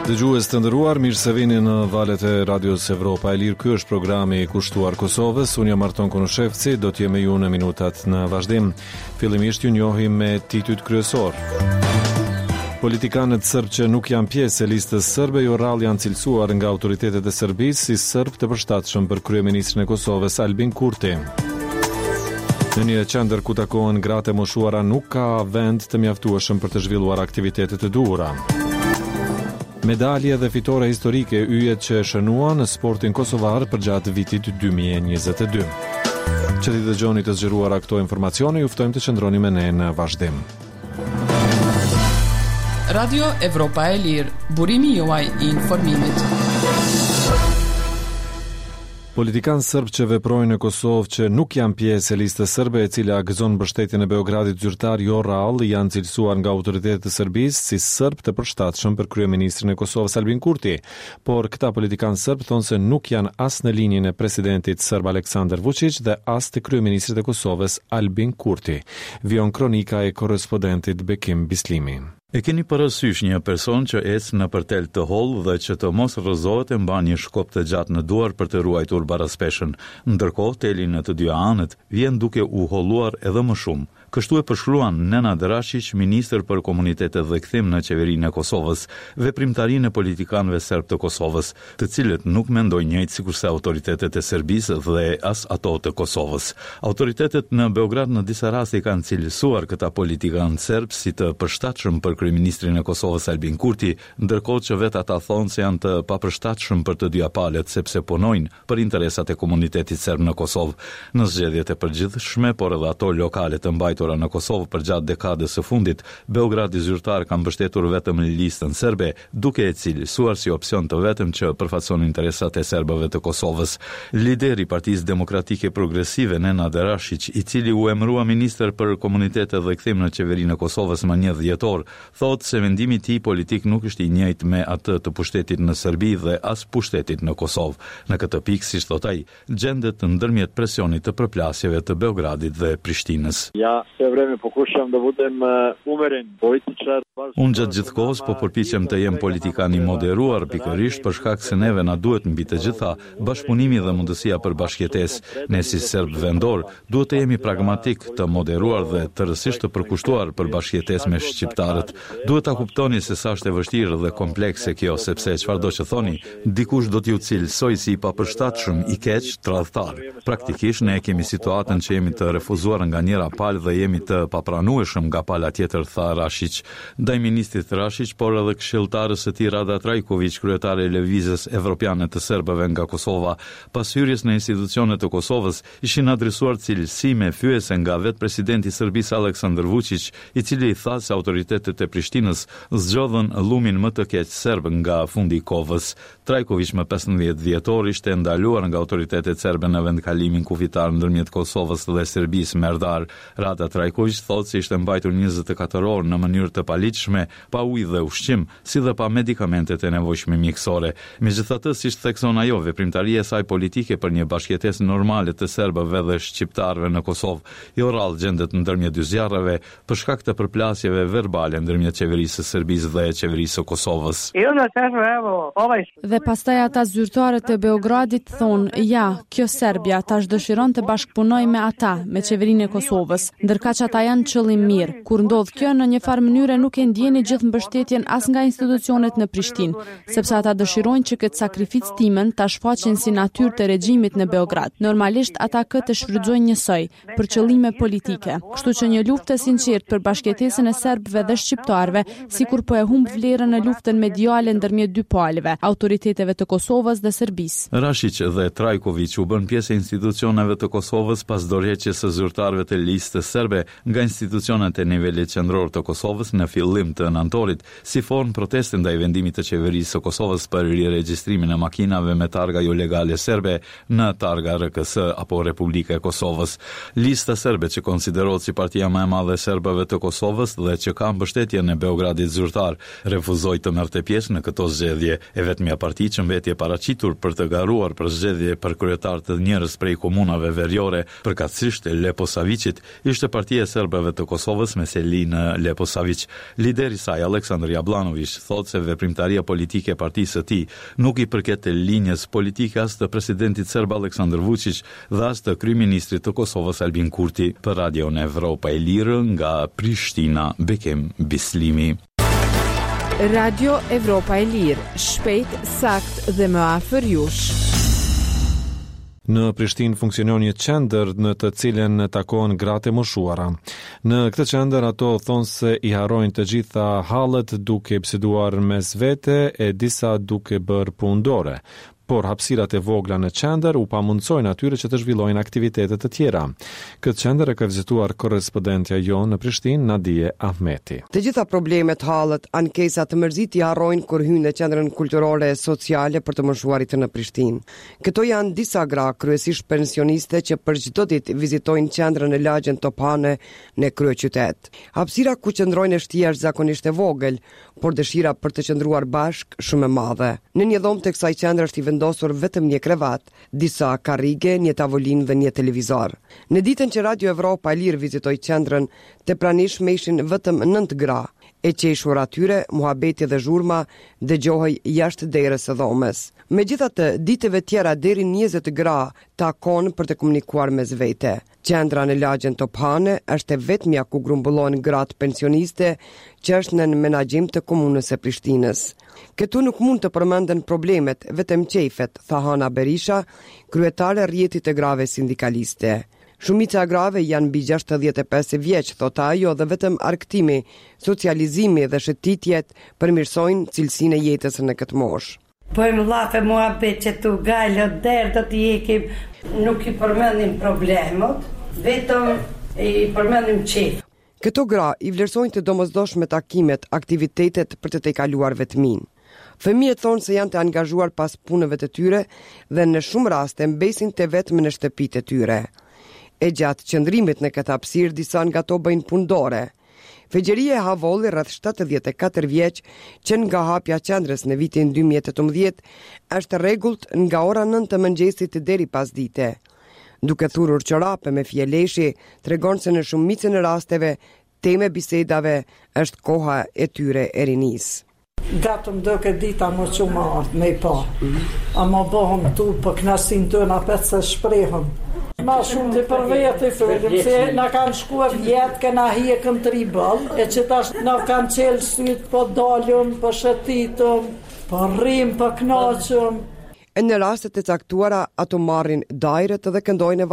Dëgjues të nderuar, mirë se vini në valët e Radios Evropa e Lirë. Ky është programi i kushtuar Kosovës. Unë jam Arton Konushevci, do të jem me ju në minutat në vazhdim. Fillimisht ju njohim me titujt kryesorë. Politikanët sërbë që nuk janë pjesë e listës sërbe jo rrallë janë cilësuar nga autoritetet e Serbisë si sërbë të përshtatshëm për kryeministrin e Kosovës Albin Kurti. Në një qendër ku takohen gratë e moshuara nuk ka vend të mjaftueshëm për të zhvilluar aktivitete të duhura. Medalje dhe fitore historike yjet që e shënuan sportin kosovar përgjatë vitit 2022. Që t'i dëgjoni të zgjeruara këto informacione, ju ftojmë të qëndroni me ne në vazhdim. Radio Evropa e Lirë, burimi juaj i informimit. Politikanë sërbë që veprojnë në Kosovë që nuk janë pjesë e listës sërbe e cila gëzon mbështetjen e Beogradit zyrtar jo rrallë janë cilësuar nga autoritetet e Serbisë si sërbë të përshtatshëm për kryeministrin e Kosovës Albin Kurti. Por këta politikanë sërbë thonë se nuk janë as në linjën e presidentit sërb Aleksandar Vuçiq dhe as të kryeministrit të Kosovës Albin Kurti. Vijon kronika e korrespondentit Bekim Bislimi. E keni parasysh një person që ecë nëpër tel të hollë dhe që të mos rrëzohet e mban një shkop të gjatë në duar për të ruajtur baraspeshën. Ndërkohë, teli në të dyja anët vjen duke u holluar edhe më shumë. Kështu e përshkruan Nenad Rashiq, ministër për Komunitete dhe Kthim në Qeverinë e Kosovës, veprimtarinë e politikanëve serbë të Kosovës, të cilët nuk mendojnë njëjtë sikurse autoritetet e Serbisë dhe as ato të Kosovës. Autoritetet në Beograd në disa raste i kanë cilësuar këta politikanë serbë si të përshtatshëm për kryeministrin e Kosovës Albin Kurti, ndërkohë që vetë ata thonë se janë të papërshtatshëm për të dyja palët sepse punojnë për interesat e komunitetit serb në Kosovë. Në zgjedhjet e përgjithshme, por edhe ato lokale të mbajtura në Kosovë përgjatë dekadës së fundit, Beogradi zyrtar ka mbështetur vetëm Listën Serbe, duke e cilësuar si opsion të vetëm që përfaqëson interesat e serbëve të Kosovës. Lideri i Partisë Demokratike Progresive, Nenad Rashiq, i cili u emërua ministër për Komunitete dhe Kthim në Qeverinë e Kosovës më një dhjetor, Thotë se mendimi i tij politik nuk është i njëjtë me atë të pushtetit në Serbi dhe as pushtetit në Kosovë. Në këtë pikë, siç thotë ai, gjendet ndërmjet presionit të përplasjeve të Beogradit dhe Prishtinës. Ja sve vreme pokušavam da budem umeren političar. Unë gjatë gjithë kohës po përpiqem të jem politikan i moderuar, pikërisht për shkak se neve na duhet mbi të gjitha bashkëpunimi dhe mundësia për bashkëjetesë. Ne si serbë vendorë, Duhet të jemi pragmatikë, të moderuar dhe tërësisht të përkushtuar për bashkëjetesë me shqiptarët. Duhet ta kuptoni se sa është e vështirë dhe komplekse kjo, sepse çfarëdo që thoni, dikush do t'ju cilësojë si i papërshtatshëm, i keq, tradhtar. Praktikisht, ne e kemi situatën që jemi të refuzuar nga njëra palë dhe jemi të papranueshëm nga pala tjetër, tha Rashiq. Ndaj ministrit Rashiq, por edhe këshilltares së tij Rada Trajkoviq, kryetare e Lëvizjes Evropiane të Serbëve nga Kosova, pas hyrjes në institucione të Kosovës, Ishin adresuar cilësime fyese nga vetë presidenti i Serbisë Aleksandër Vuçiq, i cili tha se autoritetet e Prishtinës zgjodhën llumin më të keq serb nga fundi i kovës. Trajkoviq më 15 dhjetor ishte ndaluar nga autoritetet serbe në vendkalimin kufitar ndërmjet Kosovës dhe Serbisë, Merdar. Rada Trajkoviq thotë se ishte mbajtur 24 orë në mënyrë të paligjshme, pa ujë dhe ushqim, si dhe pa medikamentet e nevojshme mjekësore. Megjithatë, siç thekson ajo, veprimtaria e saj politike për një bashkëjetesë normale të serbëve dhe shqiptarëve në Kosovë, jo rrallë gjendet ndërmjet dy zjarreve, për shkak të përplasjeve verbale ndërmjet Qeverisë së Serbisë dhe Qeverisë së Kosovës. Dhe pastaj ata zyrtarët e Beogradit thonë, ja, kjo Serbia tash dëshiron të bashkëpunojë me ata, me qeverinë e Kosovës, ndërkaq ata janë qëllimmirë. Kur ndodh kjo, në një farë mënyre nuk e ndjeni gjithë mbështetjen as nga institucionet në Prishtinë, sepse ata dëshirojnë që këtë sakrificë timen ta shfaqin si natyrë të regjimit në Beograd. Normalisht ata këtë e shfrytëzojnë njësoj, për qëllime politike. Kështu që një luftë e sinqertë për bashkëjetesën e serbëve dhe shqiptarëve, sikur po e humb vlerën në luftën mediale ndërmjet dy palëve, autoriteteve të Kosovës dhe Serbisë. Rashiq dhe Trajkoviq u bënë pjesë e institucioneve të Kosovës pas dorëheqjes së zyrtarëve të Listës Serbe nga institucionet e nivelit qendror të Kosovës në fillim të nëntorit, si formë proteste ndaj vendimit të Qeverisë së Kosovës për riregjistrimin e makinave me targa jolegale serbe në targa RKS apo Republika e Kosovës. Lista Serbe që konsiderohet si partia më e madhe e serbëve të Kosovës dhe që ka mbështetjen e Beogradit zyrtar, refuzoi të merrte pjesë në këto zgjedhje. E vetmja parti që mbeti e paraqitur për të garuar për zgjedhje për kryetar të njërës prej komunave veriore, përkatësisht Leposaviqit, ishte. partia e serbëve të Kosovës me seli në Leposaviq. Lideri i saj, Aleksandër Jabllanoviq, thotë se veprimtaria politike e partisë së tij nuk i përket linjës politike as të presidentit serb Aleksandër Vuçiq dhe as të kryeministrit të Kosovës Albin Kurti. Për Radion Evropa e Lirë nga Prishtina, Bekim Bislimi. Radio Evropa e Lirë, shpejt, saktë dhe më afër jush. Në Prishtinë funksionon një qendër në të cilën takohen gratë e moshuara. Në këtë qendër ato thonë se i harrojnë të gjitha hallet duke biseduar mes vete e disa duke bërë punë dore. Por hapësirat e vogla në qendër u pamundësojnë atyre që të zhvillojnë aktivitete të tjera. Këtë qendër e ka vizituar korrespondentja jonë në Prishtinë, Nadije Ahmeti. Të gjitha problemet, hallet, ankesat, mërzitë i harrojnë kur hyjnë në Qendrën Kulturore e Sociale për të Moshuarit në Prishtinë. Këto janë disa gra, kryesisht pensioniste që për çdo ditë vizitojnë qendrën në lagjen Tophane në kryeqytet. Hapësira ku qëndrojnë është jashtëzakonisht e vogël, por dëshira për të qëndruar bashkë shumë e madhe. Në një dhomë të kësaj qendre është i vendosur vetëm një krevat, disa karrige, një tavolinë dhe një televizor. Në ditën që Radio Evropa e Lirë vizitoi qendrën, të pranishme ishin vetëm nëntë gra. E qeshura e tyre, muhabeti dhe zhurma dëgjohej jashtë derës së dhomës. Megjithatë, ditëve tjera deri 20 gra takon për të komunikuar mes vete. Qendra në lagjen Tophane është e vetmja ku grumbullohen gratë pensioniste që është nën menaxhim të Komunës së Prishtinës. Këtu nuk mund të përmenden problemet, vetëm qejfet, tha Hana Berisha, kryetare e rrjetit të grave sindikaliste. Shumica e grave janë mbi 65 vjeç, thotë ajo, dhe vetëm argëtimi, socializimi dhe shëtitjet përmirësojnë cilësinë e jetës në këtë moshë. Bëjmë llafe muhabet që tu gajle derë do t'i hekim, nuk i përmendim problemet, vetëm i përmendim qejf. Këto gra i vlerësojnë të domosdoshme takimet, aktivitetet për të tejkaluar vetminë. Fëmijët thonë se janë të angazhuar pas punëve të tyre dhe në shumë raste mbesin të vetëm në shtëpitë e tyre. E gjatë qëndrimit në këtë hapësirë disa nga to bëjnë punë dore. Fexhrije Havolli rreth 74 vjeç që nga hapja e qendrës në vitin 2018 është rregullt nga ora 9 të mëngjesit deri pasdite. Duke thurur çorape me fije leshi, tregon se në shumicën e rasteve temë e bisedave është koha e tyre e rinisë. Gatë më doke dita më që më ardhë me i pa. Ama bohëm tu për knaqsinë tonë apet se shprehëm. Ma shumë të për veti folim, se na kanë shkua vjet, kena hjekën të boll, e që tash na kanë qelë sytë, po dalëm, po shëtitëm, po rrim, po knaqëm. E në raste të caktuara ato marrin dajret dhe këndojnë e.